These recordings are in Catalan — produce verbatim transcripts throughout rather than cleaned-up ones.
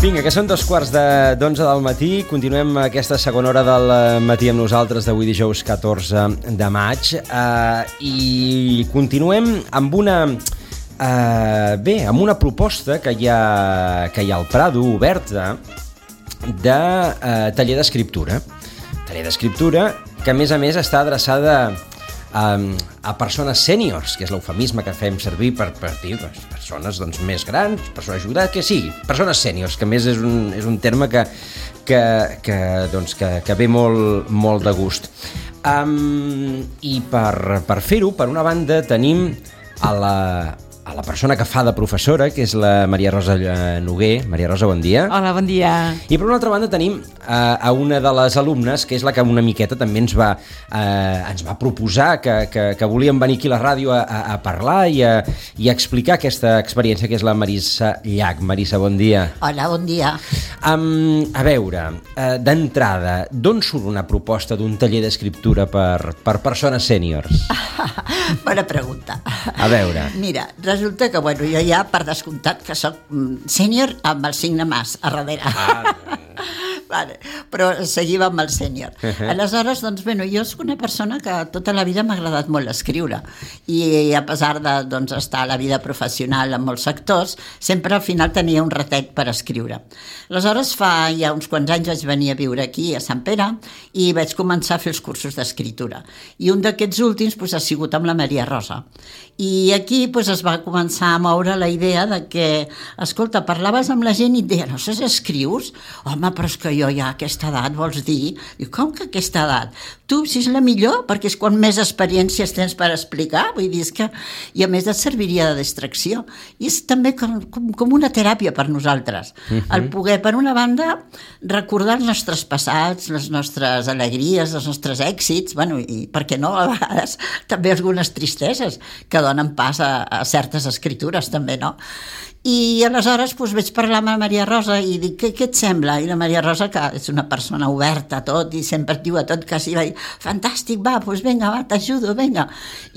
Vinga, que són dos quarts de d'onze del matí. Continuem aquesta segona hora del matí amb nosaltres d'avui dijous catorze de maig. Uh, I continuem amb una... Uh, bé, amb una proposta que hi ha, que hi ha al Prado, oberta, de uh, taller d'escriptura. Taller d'escriptura que, a més a més, està adreçada a, a persones sèniors, que és l'eufemisme que fem servir per, per dir doncs, persones doncs, més grans, persones jugades, que sigui, persones sèniors, que més és un, és un terme que, que, que, doncs, que, que ve molt, molt de gust. Um, I per, per fer-ho, per una banda, tenim a la... a la persona que fa de professora, que és la Maria Rosa Noguer. Maria Rosa, bon dia. Hola, bon dia. I per una altra banda tenim uh, a una de les alumnes, que és la que una miqueta també ens va, uh, ens va proposar que, que, que volíem venir aquí a la ràdio a, a, a parlar i a, i a explicar aquesta experiència, que és la Marissa Llach. Marissa, bon dia. Hola, bon dia. Um, a veure, uh, d'entrada, d'on surt una proposta d'un taller d'escriptura per, per persones sèniors? Bona pregunta. A veure. Mira, resulta que, bueno, jo ja, per descomptat, que soc sènior amb el signe mas a darrere. Ah, vale. Però seguim amb el sènior. Uh-huh. Aleshores, doncs, bueno, jo soc una persona que tota la vida m'ha agradat molt escriure i a pesar de doncs, estar a la vida professional en molts sectors, sempre al final tenia un ratet per escriure. Aleshores, fa ja uns quants anys vaig venir a viure aquí, a Sant Pere, i vaig començar a fer els cursos d'escriptura. I un d'aquests últims doncs, ha sigut amb la Maria Rosa. I aquí doncs, es va començar a moure la idea de que, escolta, parlaves amb la gent i et deia, no saps, escrius? Home, però és que jo ja a aquesta edat, vols dir? I com que a aquesta edat? Tu, si és la millor, perquè és quan més experiències tens per explicar, vull dir, és que... I a més et serviria de distracció. I és també com, com, com una teràpia per nosaltres. Uh-huh. El poder, per una banda, recordar els nostres passats, les nostres alegries, els nostres èxits, bueno, i per què no, a vegades, també algunes tristeses que donen pas a, a certes escritures, també, no? I aleshores doncs, vaig parlar amb la Maria Rosa i dic, què, què et sembla? I la Maria Rosa, que és una persona oberta a tot i sempre et diu a tot quasi, va dir, fantàstic, va, doncs vinga, va, t'ajudo, vinga.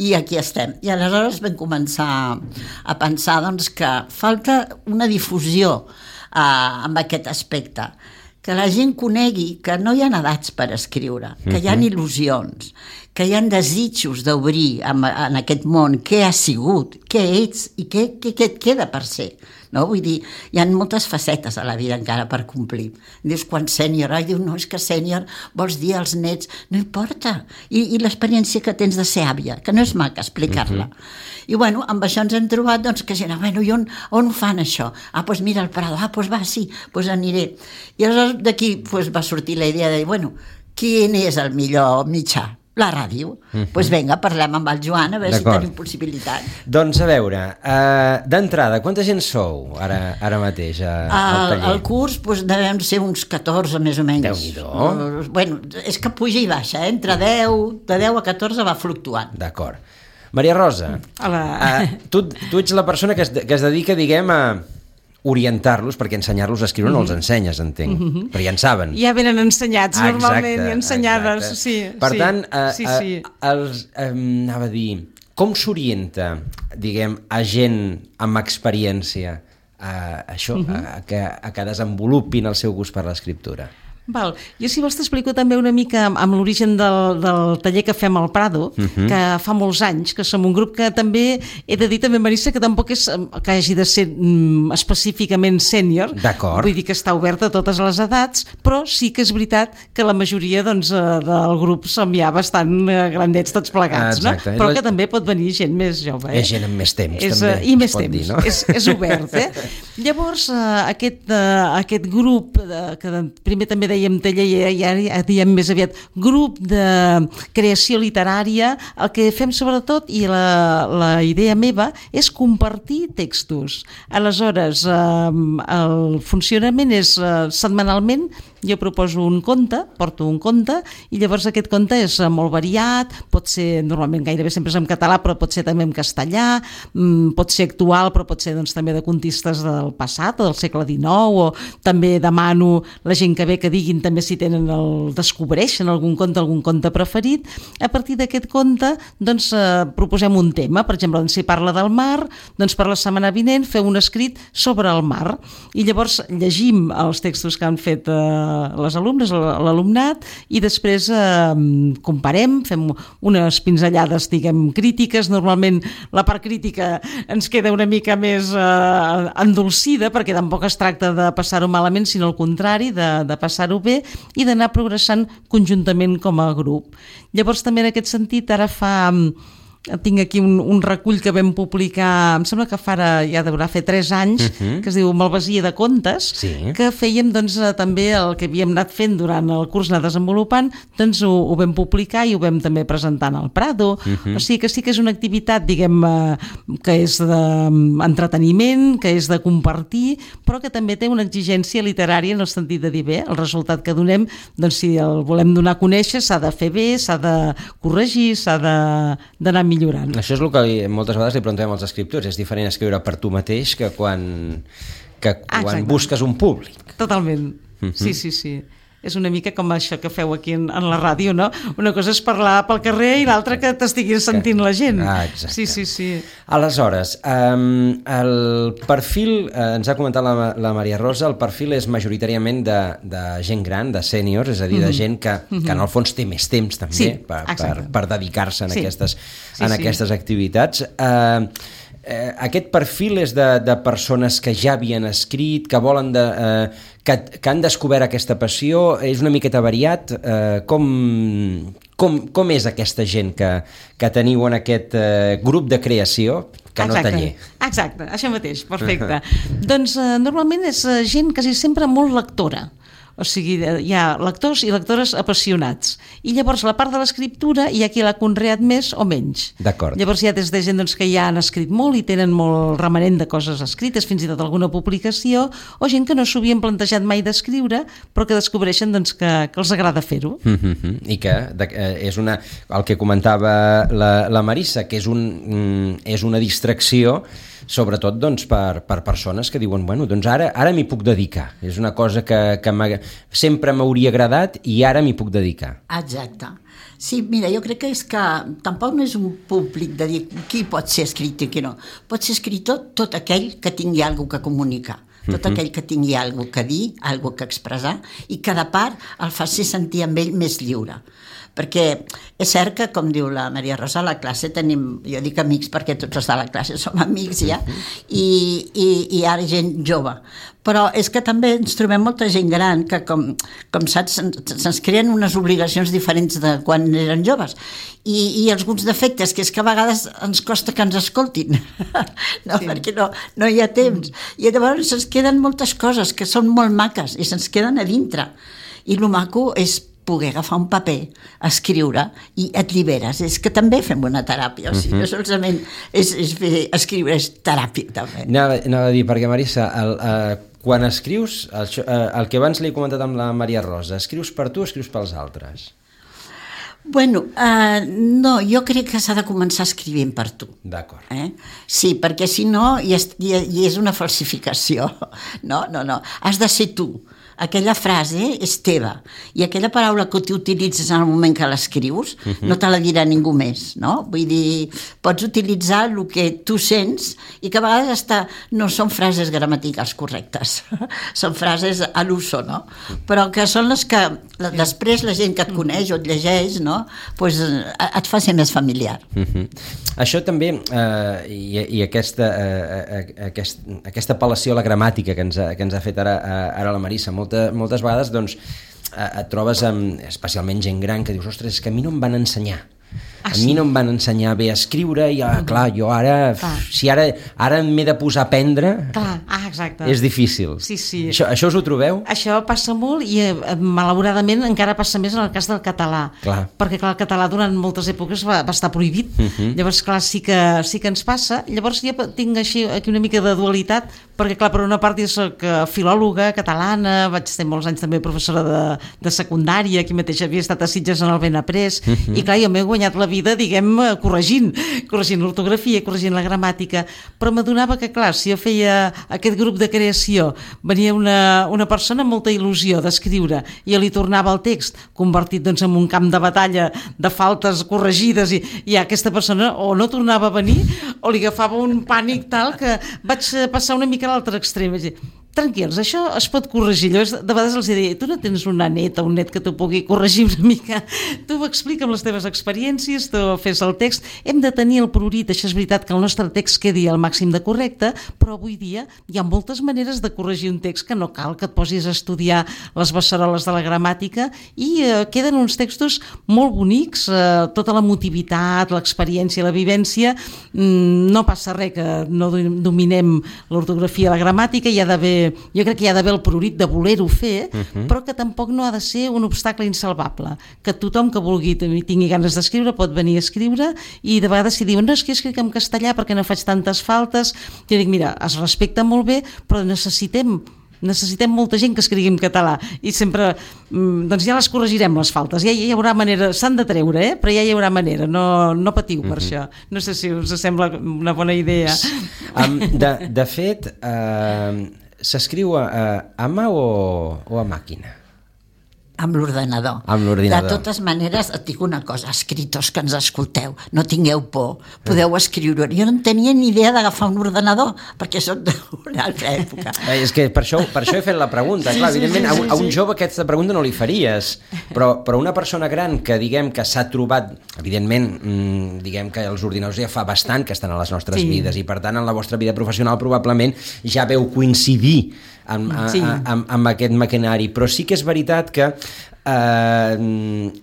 I aquí estem. I aleshores vam començar a pensar doncs, que falta una difusió eh, amb aquest aspecte, que la gent conegui que no hi ha edats per escriure, que hi ha il·lusions, que hi ha desitjos d'obrir en, en aquest món què has sigut, què ets i què, què, què et queda per ser. No? Vull dir, hi ha moltes facetes a la vida encara per complir. Dius, quan sènior, ai, diu, no, és que sènior vols dir als nets, no importa. I, i l'experiència que tens de ser àvia, que no és maca explicar-la. Uh-huh. I bueno, amb això ens hem trobat doncs, que gent, bueno, i on, on ho fan això? Ah, doncs mira el Prado, ah, doncs va, sí, doncs aniré. I aleshores d'aquí doncs, va sortir la idea de dir, bueno, quin és el millor mitjà? La ràdio. Doncs pues vinga, parlem amb el Joan a veure si tenim possibilitat. Doncs a veure, uh, d'entrada, quanta gent sou ara, ara mateix a, al taller? El curs pues, devem ser uns catorze més o menys. Déu-n'hi-do. Uh, bueno, és que puja i baixa, eh? Entre deu, de deu a catorze va fluctuant. D'acord. Maria Rosa, uh, tu, tu ets la persona que es, que es dedica, diguem, a orientar-los, perquè ensenyar-los a escriure no els ensenyes, entenc, mm-hmm. però ja en saben. Ja venen ensenyats, ah, normalment, exacte, i ensenyades, exacte. sí. Per sí, tant, uh, sí, sí. Uh, els, um, anava a dir, com s'orienta, diguem, a gent amb experiència a això, mm-hmm. a, que, a que desenvolupin el seu gust per l'escriptura? Val. Jo, si vols, t'explico també una mica amb, amb l'origen del, del taller que fem al Prado, uh-huh. que fa molts anys, que som un grup que també, he de dir també, Marissa, que tampoc és que hagi de ser mm, específicament sènior. D'acord. Vull dir que està oberta a totes les edats, però sí que és veritat que la majoria doncs, del grup som ja bastant grandets tots plegats, no? Però que també pot venir gent més jove. Eh? És gent amb més temps, és, també. I més temps, dir, no? és, és obert. Eh? Llavors, aquest, aquest grup, que primer també dèiem taller, ja, ja diem més aviat grup de creació literària, el que fem sobretot, i la, la idea meva, és compartir textos. Aleshores, eh, el funcionament és eh, setmanalment, jo proposo un conte, porto un conte, i llavors aquest conte és molt variat, pot ser, normalment gairebé sempre és en català, però pot ser també en castellà, pot ser actual, però pot ser doncs, també de contistes del passat, o del segle dinou, o també demano la gent que ve que digui diguin també si tenen el, descobreixen algun conte, algun conte preferit. A partir d'aquest conte doncs, eh, proposem un tema, per exemple, doncs, si parla del mar, doncs per la setmana vinent feu un escrit sobre el mar, i llavors llegim els textos que han fet eh, les alumnes, l'alumnat, i després eh, comparem, fem unes pinzellades, diguem, crítiques. Normalment la part crítica ens queda una mica més eh, endolcida, perquè tampoc es tracta de passar-ho malament, sinó al contrari, de, de passar-ho bé i d'anar progressant conjuntament com a grup. Llavors també en aquest sentit ara fa... tinc aquí un, un recull que vam publicar, em sembla que fa ara, ja deurà fer tres anys, uh-huh. que es diu Malvasia de contes, sí. que fèiem doncs, també el que havíem anat fent durant el curs, anar desenvolupant, doncs ho, ho vam publicar i ho vam també presentar al Prado. Uh-huh. O sigui que sí que és una activitat, diguem, que és d'entreteniment, que és de compartir, però que també té una exigència literària en el sentit de dir, bé, el resultat que donem, doncs si el volem donar a conèixer, s'ha de fer bé, s'ha de corregir, s'ha d'anar millorant. millorant. Això és el que moltes vegades li preguntem als escriptors, és diferent escriure per tu mateix que quan, que quan Exacte. busques un públic. Totalment, uh-huh. sí, sí, sí. És una mica com això que feu aquí en, en la ràdio, no? Una cosa és parlar pel carrer i l'altra que t'estiguis sentint la gent. Ah, exacte. Sí, sí, sí. Aleshores, um, el perfil, eh, ens ha comentat la, la Maria Rosa, el perfil és majoritàriament de, de gent gran, de sèniors, és a dir, de Mm-hmm. gent que, Mm-hmm. que en el fons té més temps també Sí, per, per, exacte. per dedicar-se en, Sí. aquestes, Sí, en sí. aquestes activitats. Uh, eh, aquest perfil és de, de persones que ja havien escrit, que volen de... Eh, que, que han descobert aquesta passió, és una miqueta variat. Eh, com, com, com és aquesta gent que, que teniu en aquest eh, grup de creació, que no Exacte. taller? Exacte, això mateix, perfecte. Doncs eh, normalment és eh, gent quasi sempre molt lectora. O sigui, hi ha lectors i lectores apassionats. I llavors la part de l'escriptura hi ha qui l'ha conreat més o menys. D'acord. Llavors hi ha des de gent doncs, que ja han escrit molt i tenen molt remanent de coses escrites, fins i tot alguna publicació, o gent que no s'ho havien plantejat mai d'escriure, però que descobreixen doncs, que, que els agrada fer-ho. Mm-hmm. I que de, eh, és una, el que comentava la, la Marissa, que és, un, mm, és una distracció, sobretot doncs, per, per persones que diuen, bueno, doncs ara, ara m'hi puc dedicar. És una cosa que, que sempre m'hauria agradat i ara m'hi puc dedicar. Exacte. Sí, mira, jo crec que és que tampoc no és un públic de dir qui pot ser escriptor i qui no. Pot ser escriptor tot aquell que tingui alguna cosa que comunicar, tot uh-huh. aquell que tingui alguna cosa que dir, alguna cosa que expressar, i cada part el faci sentir amb ell més lliure. Perquè és cert que, com diu la Maria Rosa, a la classe tenim, jo dic amics perquè tots els de la classe som amics ja, i, i, i ara gent jove. Però és que també ens trobem molta gent gran que, com, com saps, se'ns creen unes obligacions diferents de quan eren joves. I, i alguns defectes, que és que a vegades ens costa que ens escoltin, no, sí. perquè no, no hi ha temps. I llavors se'ns queden moltes coses que són molt maques i se'ns queden a dintre. I el maco és poder agafar un paper, escriure, i et lliberes. És que també fem una teràpia, o sigui, uh-huh. no solament és, és fer, escriure, és teràpia també. Anava, anava a dir, perquè Marissa, el, uh, quan escrius, el, uh, el que abans li he comentat amb la Maria Rosa, escrius per tu o escrius pels altres? Bueno, uh, no, jo crec que s'ha de començar escrivint per tu. D'acord. Eh? Sí, perquè si no, i és, i és una falsificació. No, no, no. Has de ser tu. Aquella frase és teva, i aquella paraula que tu utilitzes en el moment que l'escrius uh-huh. no te la dirà ningú més, no? Vull dir, pots utilitzar el que tu sents i que a vegades hasta no són frases gramaticals correctes, són frases a l'uso, no? Però que són les que sí. després la gent que et coneix o et llegeix, no? Pues, et fa ser més familiar. Uh-huh. Això també, eh, i, i aquesta, eh, aquest, aquesta apel·lació a la gramàtica que ens ha, que ens ha fet ara, ara la Marissa, moltes, moltes vegades doncs, et trobes amb, especialment gent gran que dius, ostres, és que a mi no em van ensenyar. Ah, a mi sí? no em van ensenyar bé a escriure i, ah, clar, jo ara, clar. si ara, ara m'he de posar a aprendre, clar. Ah, exacte. és difícil. Sí, sí. Això, això us ho trobeu? Això passa molt i, eh, malauradament, encara passa més en el cas del català. Clar. Perquè, clar, el català durant moltes èpoques va, va estar prohibit. Uh-huh. Llavors, clar, sí que, sí que ens passa. Llavors, jo tinc així aquí una mica de dualitat, perquè clar, per una part jo soc filòloga catalana, vaig ser molts anys també professora de, de secundària, aquí mateix havia estat a Sitges en el Benaprés, uh-huh. i clar, jo m'he guanyat la vida, diguem, corregint, corregint l'ortografia, corregint la gramàtica, però m'adonava que clar, si jo feia aquest grup de creació, venia una, una persona amb molta il·lusió d'escriure, i jo li tornava el text, convertit doncs en un camp de batalla de faltes corregides, i, i aquesta persona o no tornava a venir, o li agafava un pànic tal que vaig passar una mica a l'altre extrem, vaig dir, tranquils, això es pot corregir. Jo de vegades els diria, tu no tens una neta o un net que t'ho pugui corregir una mica, tu explica'm les teves experiències, tu fes el text, hem de tenir el prurit, això és veritat que el nostre text quedi al màxim de correcte, però avui dia hi ha moltes maneres de corregir un text que no cal que et posis a estudiar les beceroles de la gramàtica i eh, queden uns textos molt bonics, eh, tota la motivitat, l'experiència, la vivència, mm, no passa res que no dominem l'ortografia i la gramàtica, hi ha d'haver jo crec que hi ha d'haver el prurit de voler-ho fer, uh-huh. però que tampoc no ha de ser un obstacle insalvable, que tothom que vulgui i tingui ganes d'escriure pot venir a escriure, i de vegades si diuen no, és que escric en castellà perquè no faig tantes faltes, jo dic, mira, es respecta molt bé, però necessitem necessitem molta gent que escrigui en català i sempre, doncs ja les corregirem les faltes, ja hi haurà manera, s'han de treure, eh? Però ja hi haurà manera, no, no patiu per mm-hmm. això, no sé si us sembla una bona idea. Um, de, de fet, uh, s'escriu a, a mà o, o a màquina? Amb l'ordenador. Amb l'ordinador. De totes maneres, et dic una cosa, escriptors que ens escolteu, no tingueu por, podeu escriure. Jo no en tenia ni idea d'agafar un ordenador, perquè soc d'una altra època. Eh, és que per això, per això he fet la pregunta. Sí, clar, sí, evidentment, sí, sí, a, un, a un jove aquesta pregunta no li faries, però, però una persona gran que diguem que s'ha trobat, evidentment, mmm, diguem que els ordinadors ja fa bastant que estan a les nostres sí. vides, i per tant en la vostra vida professional probablement ja veu coincidir amb, sí. a, amb, amb aquest maquinari, però sí que és veritat que eh,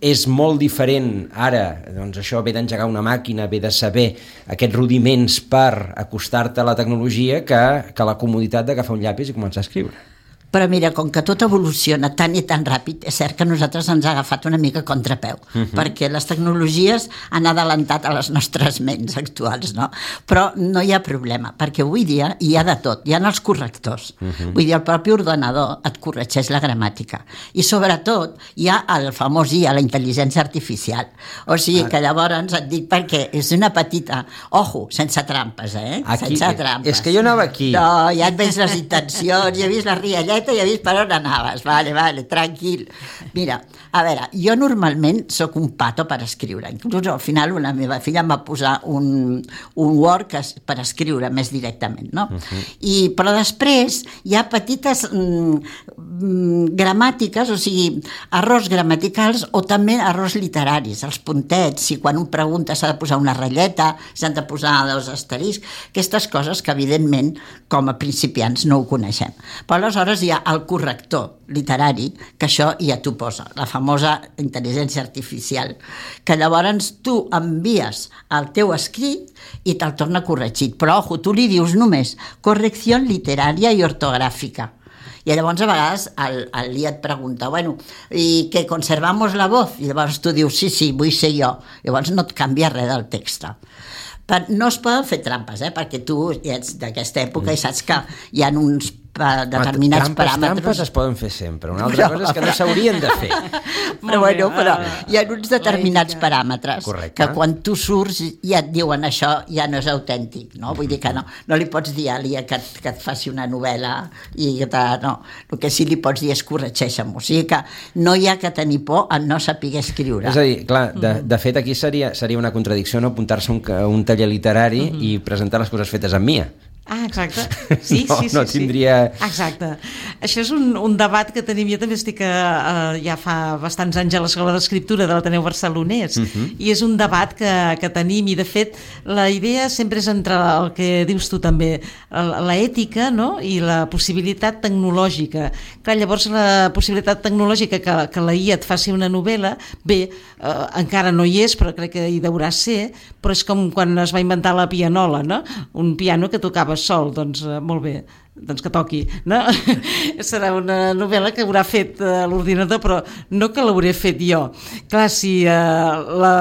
és molt diferent ara, doncs això ve d'engegar una màquina, ve de saber aquests rudiments per acostar-te a la tecnologia que, que la comoditat d'agafar un llapis i començar a escriure. Però mira, com que tot evoluciona tan i tan ràpid, és cert que a nosaltres ens ha agafat una mica contrapeu, uh-huh. perquè les tecnologies han adelantat a les nostres ments actuals, no? Però no hi ha problema, perquè avui dia hi ha de tot, hi ha els correctors. Uh-huh. Vull dir, el propi ordenador et corregeix la gramàtica. I sobretot hi ha el famós I A, la intel·ligència artificial. O sigui ah. que llavors et dic perquè és una petita... Ojo, sense trampes, eh? Aquí, sense trampes. És que jo anava aquí. No, ja et veig les intencions, ja he vist la rialleta, ja he vist per on anaves, vale, vale, tranquil. Mira, a veure, jo normalment sóc un pato per escriure, inclús al final la meva filla em va posar un, un Word que, per escriure més directament, no? Uh-huh. I, però després hi ha petites mm, gramàtiques, o sigui, errors gramaticals o també errors literaris, els puntets, si quan un pregunta s'ha de posar una ratlleta, s'han de posar dos asteriscs, aquestes coses que evidentment com a principiants no ho coneixem. Però aleshores hi ha el corrector literari, que això ja t'ho posa, la famosa intel·ligència artificial, que llavors tu envies el teu escrit i te'l torna corregit. Però, ojo, tu li dius només correcció literària i ortogràfica. I llavors a vegades el, el I A et pregunta, bueno, i que conservamos la voz? I llavors tu dius, sí, sí, vull ser jo. Llavors no et canvia res del text. No es poden fer trampes, eh? Perquè tu ja ets d'aquesta època i saps que hi ha uns determinats trampes, paràmetres. Trampes es poden fer sempre. Una altra però, cosa és que no s'haurien de fer. Però bueno, però hi ha uns determinats paràmetres correcte. Que quan tu surts ja et diuen això ja no és autèntic, no? Vull dir que no, no li pots dir a l'I A que, que et faci una novel·la i que te, no, el que sí li pots dir és corregeix-me. O sigui que no hi ha que tenir por a no saber escriure. És a dir, clar, de, de fet aquí seria, seria una contradicció no apuntar-se a un, un taller literari mm-hmm. i presentar les coses fetes amb mi A. Ah, exacte. Sí, no, sí, sí. No sí. tindria... Exacte. Això és un, un debat que tenim. Jo també estic a, a, ja fa bastants anys a l'Escola d'Escriptura de l'Ateneu Barcelonès uh-huh. i és un debat que, que tenim i de fet la idea sempre és entre el que dius tu també, l'ètica, no? I la possibilitat tecnològica. Clar, llavors la possibilitat tecnològica que, que la I A et faci una novel·la, bé, eh, encara no hi és, però crec que hi deurà ser, però és com quan es va inventar la pianola, no? Un piano que tocava sol, doncs eh, molt bé. doncs que toqui, no? Serà una novel·la que haurà fet uh, l'ordinador, però no que l'hauré fet jo. Clar, si uh, la,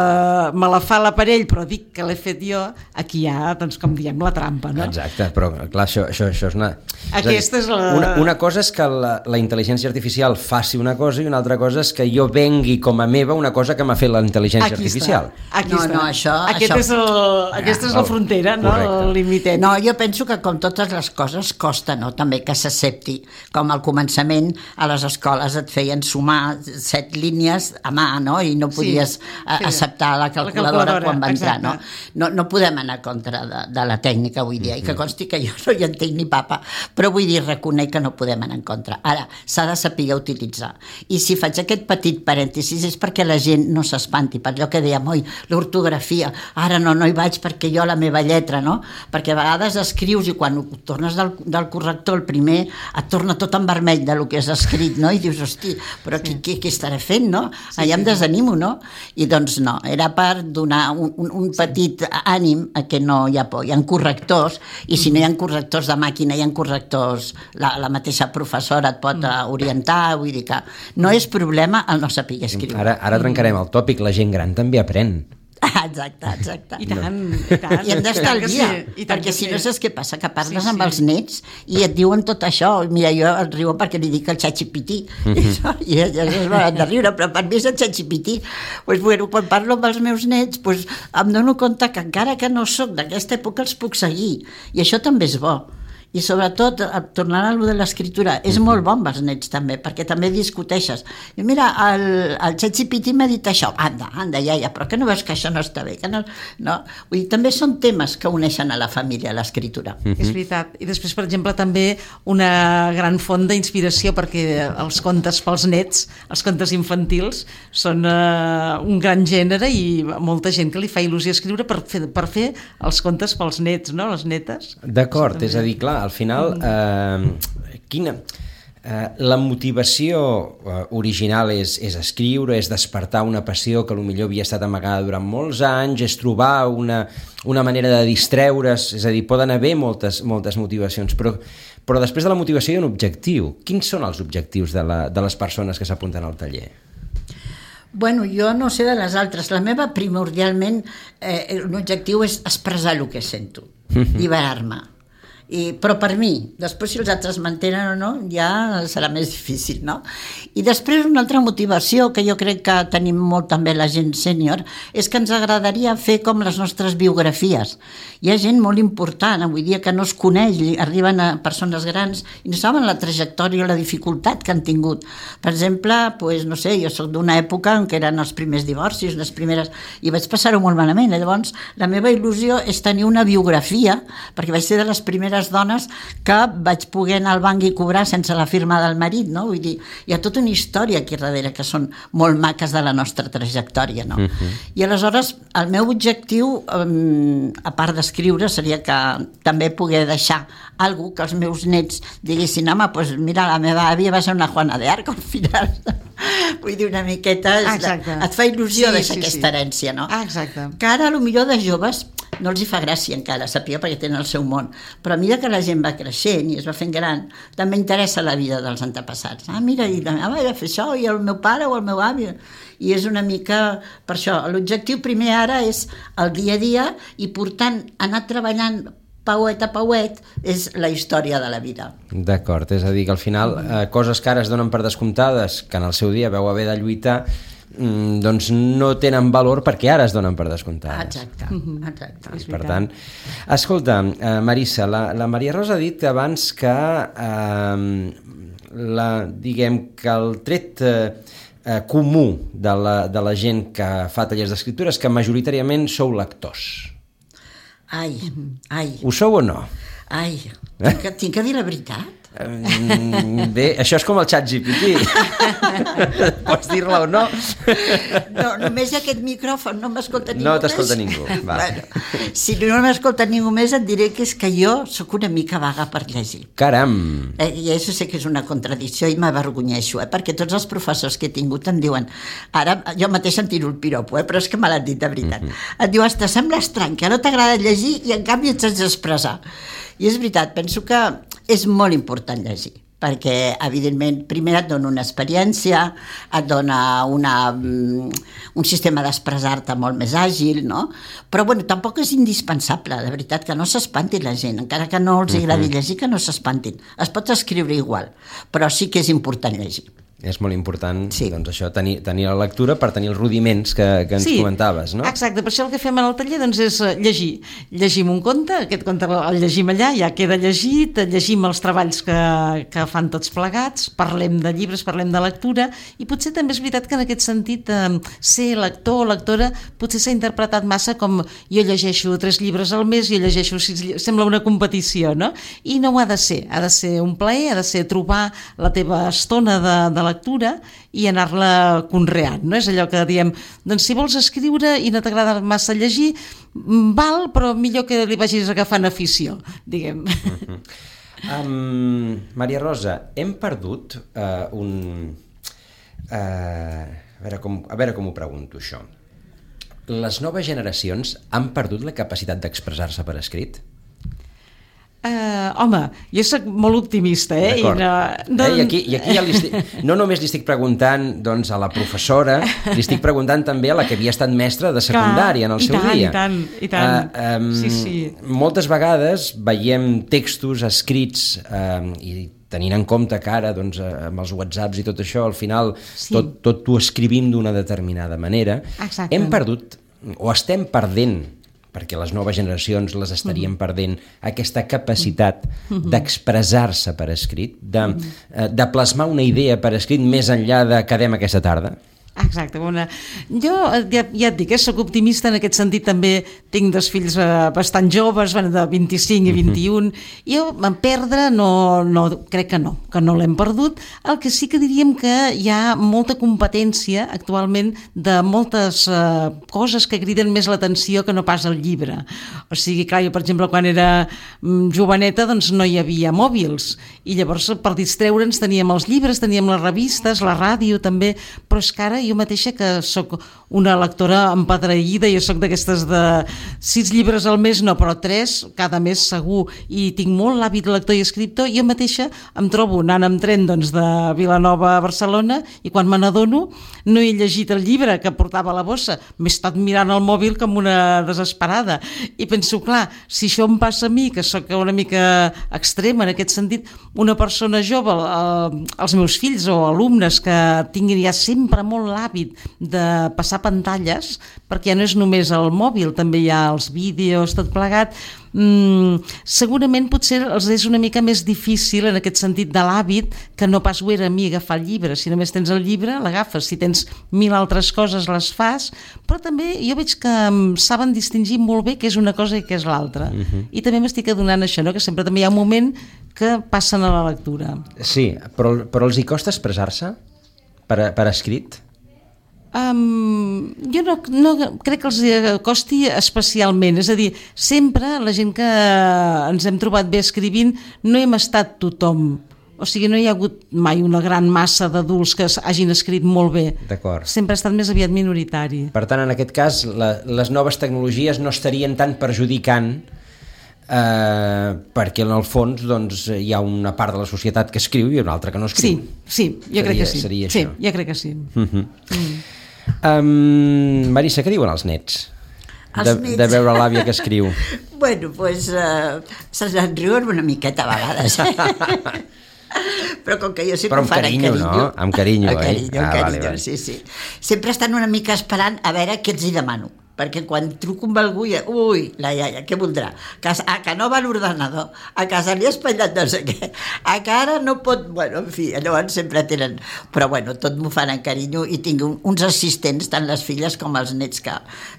me la fa l'aparell, però dic que l'he fet jo, aquí hi ha, doncs, com diem, la trampa, no? Exacte, però clar, això, això, això és una... Aquesta és, dir, és la... Una, una cosa és que la, la intel·ligència artificial faci una cosa i una altra cosa és que jo vengui com a meva una cosa que m'ha fet la intel·ligència aquí artificial. Està. Aquí no, està. no, això... Aquest això... És el, ah, aquesta és la frontera, no? El limitet. No, jo penso que com totes les coses costa, no?, també que s'accepti. Com al començament a les escoles et feien sumar set línies a mà, no?, i no podies sí, sí. acceptar la calculadora, la calculadora quan va entrar, no? no? No podem anar contra de, de la tècnica avui dia, mm-hmm. i que consti que jo no hi entenc ni papa, però vull dir, reconec que no podem anar en contra. Ara, s'ha de saber utilitzar. I si faig aquest petit parèntesis és perquè la gent no s'espanti, per allò que dèiem, oi, l'ortografia, ara no, no hi vaig perquè jo la meva lletra, no? Perquè a vegades escrius i quan tornes del, del corrector el primer et torna tot en vermell del que has escrit, no? I dius, hosti, però sí. què, què estaré fent, no? Sí, allà em desanimo, no? I doncs no, era per donar un, un, un petit ànim a que no hi ha por. Hi ha correctors, i si no hi ha correctors de màquina, hi ha correctors, la, la mateixa professora et pot orientar, vull dir que no és problema el no saber escriure. Ara, ara trencarem el tòpic, la gent gran també aprèn. Exacte, exacte. I tant, i tant. I hem d'estar al dia, sí, perquè si no saps què passa, que parles sí, sí. amb els nets i et diuen tot això. Mira, jo el riu perquè li dic el xatxipití, mm-hmm. i elles es van de riure, però per mi és el xatxipití. Pues, bueno, quan parlo amb els meus nets, pues, em dono compte que encara que no sóc d'aquesta època els puc seguir, i això també és bo. I sobretot, tornant a allò de l'escriptura, és molt bon els nets també, perquè també discuteixes. I mira, el, el ChatGPT m'ha dit això, anda, anda, ja, ja, però que no veus que això no està bé? Que no, no? Vull dir, també són temes que uneixen a la família, l'escriptura. Mm-hmm. És veritat. I després, per exemple, també una gran font d'inspiració, perquè els contes pels nets, els contes infantils, són uh, un gran gènere i molta gent que li fa il·lusió escriure per fer, per fer els contes pels nets, no?, les netes. D'acord, és a dir, clar, al final, eh, quina, eh, la motivació eh, original és, és escriure, és despertar una passió que potser havia estat amagada durant molts anys, és trobar una, una manera de distreure's, és a dir, poden haver moltes, moltes motivacions, però, però després de la motivació hi ha un objectiu. Quins són els objectius de, la, de les persones que s'apunten al taller? Bueno, jo no sé de les altres. La meva, primordialment, eh, l'objectiu és expressar el que sento, liberar-me. I, però per mi, després si els altres mantenen o no, ja serà més difícil, no? I després una altra motivació que jo crec que tenim molt també la gent sènior és que ens agradaria fer com les nostres biografies. Hi ha gent molt important avui dia que no es coneix, arriben a persones grans i no saben la trajectòria o la dificultat que han tingut. Per exemple, pues, no sé, jo soc d'una època en què eren els primers divorcis, les primeres, i vaig passar-ho molt malament. Llavors, la meva il·lusió és tenir una biografia, perquè vaig ser de les primeres dones que vaig poder anar al banc i cobrar sense la firma del marit, no? Vull dir, hi ha tota una història aquí darrere que són molt maques de la nostra trajectòria, no? Uh-huh. I aleshores el meu objectiu, um, a part d'escriure, seria que també poder deixar algú que els meus nets diguessin, home, pues mira, la meva àvia va ser una Juana de Arc al final. Vull dir, una miqueta de, et fa il·lusió sí, deixar sí, aquesta sí. herència, no? Ah, exacte. Que ara, potser de joves no els hi fa gràcia encara, sàpiga, perquè tenen el seu món, però a mesura que la gent va creixent i es va fent gran, també interessa la vida dels antepassats. Ah, mira, i la meva va fer això, i el meu pare o el meu avi, i és una mica per això. L'objectiu primer ara és el dia a dia i, portant, anar treballant pauet a pauet és la història de la vida. D'acord, és a dir, que al final eh, coses que ara es donen per descomptades, que en el seu dia veu haver de lluitar, mm, doncs no tenen valor perquè ara es donen per descomptades. Exacte, exacte. Per tant, escolta, eh, Marissa, la, la Maria Rosa ha dit abans que eh, la, diguem que el tret eh, comú de la, de la gent que fa tallers d'escriptura és que majoritàriament sou lectors. Ai, ai. Ho sou o no? Ai, tinc que, tinc que dir la veritat? Bé, això és com el ChatGPT. Pots dir-la o no? No, només aquest micròfon no m'escolta ningú no més. No t'escolta ningú. Bueno, si no m'escolta ningú més et diré que és que jo sóc una mica vaga per llegir. Caram! Eh, I això sé que és una contradicció i m'avergonyeixo, eh, perquè tots els professors que he tingut em diuen, ara jo mateix em tiro el piropo, eh, però és que me l'han dit de veritat. Mm-hmm. Et diu, te sembla estrany que no t'agrada llegir i en canvi et saps expressar. I és veritat, penso que és molt important llegir, perquè, evidentment, primer et dona una experiència, et dona una, un sistema d'expressar-te molt més àgil, no? Però, bueno, tampoc és indispensable, de veritat, que no s'espantin la gent, encara que no els agradi llegir, que no s'espantin. Es pot escriure igual, però sí que és important llegir. És molt important, sí. doncs això, tenir, tenir la lectura per tenir els rudiments que, que ens sí, comentaves, no? Exacte, per això el que fem en el taller doncs, és llegir. Llegim un conte, aquest conte el llegim allà, ja queda llegit, llegim els treballs que, que fan tots plegats, parlem de llibres, parlem de lectura, i potser també és veritat que en aquest sentit eh, ser lector o lectora potser s'ha interpretat massa com jo llegeixo tres llibres al mes, jo llegeixo sis llibres, sembla una competició, no? I no ho ha de ser, ha de ser un plaer, ha de ser trobar la teva estona de, de lectura i anar-la conreant, no? És allò que diem, doncs si vols escriure i no t'agrada massa llegir, val, però millor que li vagis agafant afició, diguem. Uh-huh. um, Maria Rosa, hem perdut uh, un... Uh, a, veure com, a veure com ho pregunto, això. Les noves generacions han perdut la capacitat d'expressar-se per escrit? Uh, home, jo soc molt optimista, eh? D'acord. I, no, doncs... eh? I aquí, i aquí ja li estic, no només li estic preguntant doncs, a la professora, li estic preguntant també a la que havia estat mestra de secundària en el seu tant, dia. I tant, i tant, uh, um, sí, sí. Moltes vegades veiem textos escrits um, i tenint en compte que ara doncs, amb els whatsapps i tot això, al final sí. tot, tot ho escrivim d'una determinada manera. Exacte. Hem perdut, o estem perdent, perquè les noves generacions les estarien perdent, aquesta capacitat d'expressar-se per escrit, de, de plasmar una idea per escrit més enllà de quedem aquesta tarda? Exacte, bona. Jo ja, ja et dic, eh, soc optimista en aquest sentit, també tinc dos fills eh, bastant joves, van de vint-i-cinc i vint-i-un, i jo en perdre no, no, crec que no, que no l'hem perdut. El que sí que diríem que hi ha molta competència actualment de moltes eh, coses que criden més l'atenció que no pas el llibre. O sigui, clar, jo per exemple quan era joveneta doncs no hi havia mòbils i llavors per distreure'ns teníem els llibres, teníem les revistes, la ràdio també, però és que ara jo mateixa que sóc una lectora empadreïda, jo sóc d'aquestes de sis llibres al mes, no, però tres cada mes segur, i tinc molt l'hàbit lector i escriptor, jo mateixa em trobo anant amb tren doncs, de Vilanova a Barcelona i quan me n'adono no he llegit el llibre que portava a la bossa, m'he estat mirant el mòbil com una desesperada i penso, clar, si això em passa a mi, que sóc una mica extrema en aquest sentit, una persona jove, eh, els meus fills o alumnes que tinguin ja sempre molt l'hàbit de passar pantalles, perquè ja no és només el mòbil, també hi ha els vídeos, tot plegat, mm, segurament potser els és una mica més difícil en aquest sentit de l'hàbit que no pas ho era a mi agafar el llibre. Si només tens el llibre, l'agafes. Si tens mil altres coses, les fas, però també jo veig que saben distingir molt bé què és una cosa i què és l'altra. Uh-huh. I també m'estic adonant això, no? Que sempre també hi ha un moment que passen a la lectura. Sí, però, però els hi costa expressar-se per, per escrit? Um, jo no, no crec que els costi especialment, és a dir, sempre la gent que ens hem trobat bé escrivint no hem estat tothom, o sigui, no hi ha hagut mai una gran massa d'adults que hagin escrit molt bé. D'acord. Sempre ha estat més aviat minoritari. Per tant, en aquest cas, la, les noves tecnologies no estarien tan perjudicant eh, perquè en el fons doncs, hi ha una part de la societat que escriu i una altra que no escriu. Sí, sí, jo seria, crec que sí. Seria sí, això. jo crec que sí. Uh-huh. Mm. Um, Marissa, què diuen els nets? Els de, nets. de veure l'àvia que escriu. Bueno, doncs pues, uh, se'ls en riuen una miqueta a vegades. Però com que jo sempre Però amb carinyo, carinyo, no? Amb carinyo, amb carinyo, eh? amb Ah, carinyo, vale, vale. sí, sí. Sempre estan una mica esperant a veure què els hi demano. Perquè quan truco amb algú, ja, ui, la iaia, què voldrà? Que, a que no va a l'ordenador, a que se li ha espatllat no sé què, a que ara no pot... Bueno, en fi, llavors sempre tenen... Però bueno, tot m'ho fan en carinyo i tinc un, uns assistents, tant les filles com els nets, que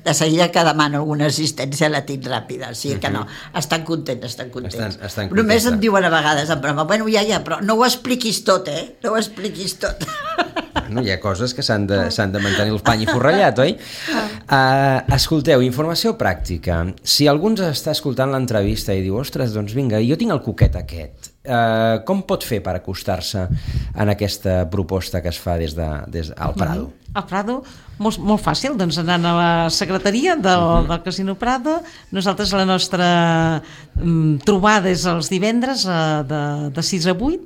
de seguida que demano alguna assistència la tinc ràpida, o sigui que no, estan contents, estan contents. Estan, estan contents. Només em diuen a vegades en broma, bueno, iaia, però no ho expliquis tot, eh? No ho expliquis tot. No, hi ha coses que s'han de, s'han de mantenir el pany i forrellat, oi? Uh, escolteu, informació pràctica. Si algú ens està escoltant l'entrevista i diu, ostres, doncs vinga, jo tinc el coquet aquest, uh, com pot fer per acostar-se en aquesta proposta que es fa des de, des al Prado? Al Prado, molt, molt fàcil, doncs anant a la secretaria del, uh-huh. del Casino Prado. Nosaltres la nostra um, trobada és els divendres uh, de, de sis a vuit,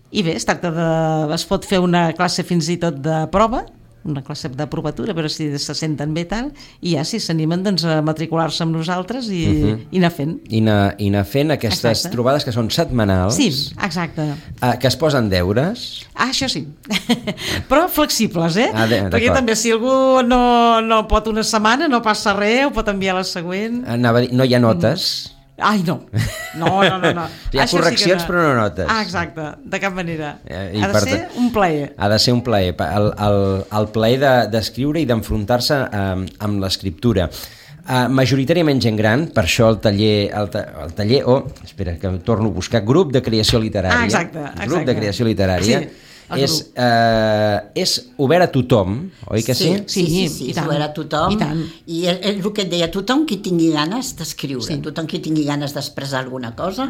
i bé, es tracta de... es pot fer una classe fins i tot de prova, una classe de provatura, però si se senten bé tal, i ja si s'animen doncs, a matricular-se amb nosaltres i, uh-huh. i anar fent. I anar, i anar fent aquestes exacte. Trobades que són setmanals. Sí, exacte. Uh, que es posen deures. Ah, això sí. Però flexibles, eh? Ah, de, perquè també si algú no, no pot una setmana, no passa res, ho pot enviar la següent. Anava a dir, no hi ha notes. Mm. Ai, no. No, no, no. no. Hi ha això correccions, sí no. però no notes. Ah, exacte, de cap manera. I ha de ser un plaer. Ha de ser un plaer. El, el, el plaer d'escriure de, i d'enfrontar-se um, amb l'escriptura. Uh, majoritàriament gent gran, per això el taller, el, ta, el taller, oh, espera, que torno a buscar, grup de creació literària. Ah, exacte, exacte. Grup de creació literària. Sí. És, eh, és obert a tothom, oi que sí? Sí, sí, sí, sí, i és obert a tothom. I, i és, és el que et deia, tothom qui tingui ganes d'escriure, sí. tothom qui tingui ganes d'expressar alguna cosa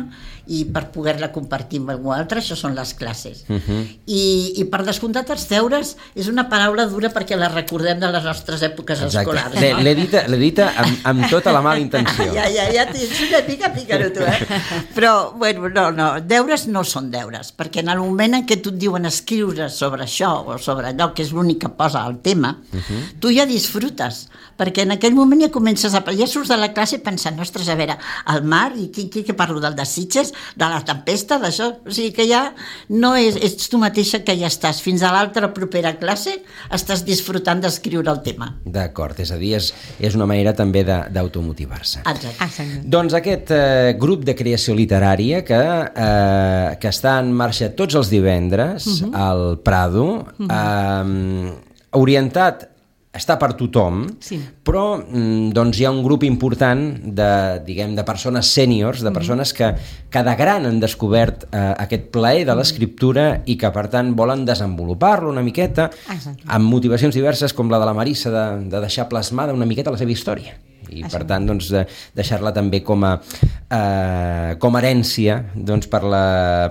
i per poder-la compartir amb algú altre, això són les classes. Uh-huh. I, I per descomptat els deures és una paraula dura perquè la recordem de les nostres èpoques Exacte. Escolars. No? L'he dita, l'he dita amb, amb tota la mala intenció. Ja, ja, ja, tens una mica pícaro tu, eh? Però, bueno, no, no, deures no són deures, perquè en el moment en què tu et diuen escriure sobre això o sobre allò que és l'únic que posa el tema, uh-huh. tu ja disfrutes, perquè en aquell moment ja comences a... ja surts de la classe pensant, ostres, a veure, el mar, i qui, qui que parlo del de Sitges, de la tempesta, d'això, o sigui que ja no és, ets tu mateixa que ja estàs, fins a l'altra propera classe estàs disfrutant d'escriure el tema. D'acord, és a dir, és, és una manera també d'automotivar-se. Exacte. Exacte. Doncs aquest eh, grup de creació literària que, eh, que està en marxa tots els divendres uh-huh. al Prado, uh-huh. eh, orientat, està per tothom, sí. però doncs, hi ha un grup important de, diguem, de persones sèniors, de persones que, que de gran han descobert eh, aquest plaer de l'escriptura i que, per tant, volen desenvolupar-lo una miqueta Exacte. Amb motivacions diverses, com la de la Marissa, de, de deixar plasmada una miqueta la seva història. I, Això. Per tant, doncs, de deixar-la també com a, eh, com a herència doncs, per la,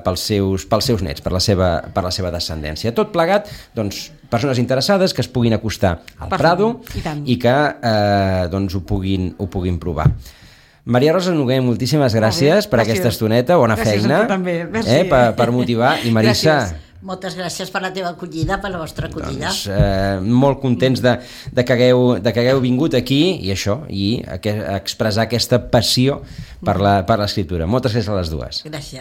pels, seus, pels seus nets, per la, seva, per la seva descendència. Tot plegat, doncs, persones interessades que es puguin acostar al Perfecte. Prado i, i que eh, doncs, ho, puguin, ho puguin provar. Maria Rosa Noguer, moltíssimes gràcies per gràcies. Aquesta estoneta, bona gràcies feina eh, per, per motivar. I Marissa... Gràcies. Moltes gràcies per la teva acollida, per la vostra acollida. Doncs, eh, molt contents de, de, que hagueu, de que hagueu vingut aquí i això, i a, a expressar aquesta passió per l'escriptura. Moltes gràcies a les dues. Gràcies. gràcies.